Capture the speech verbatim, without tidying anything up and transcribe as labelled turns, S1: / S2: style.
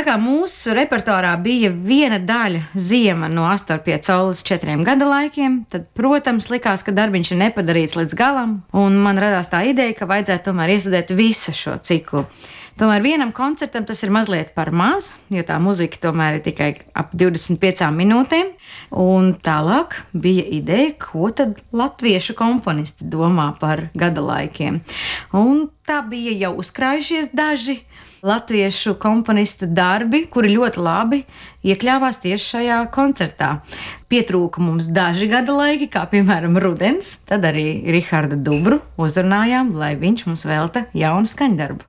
S1: Tā kā mūsu repertuārā bija viena daļa ziema no astoņiem pie saules četriem gada laikiem, tad, protams, likās, ka darbiņš ir nepadarīts līdz galam, un man radās tā ideja, ka vajadzētu tomēr iestudēt visu šo ciklu. Tomēr vienam koncertam tas ir mazliet par maz, jo tā muzika tomēr ir tikai ap divdesmit piecām minūtēm. Un tālāk bija ideja, ko tad latviešu komponisti domā par gada laikiem. Un tā bija jau uzkrājušies daži latviešu komponistu darbi, kuri ļoti labi iekļāvās tieši šajā koncertā. Pietrūka mums daži gada laiki, kā piemēram rudens, tad arī Rihardu Dubru uzrunājām, lai viņš mums velta jaunu skaņdarbu.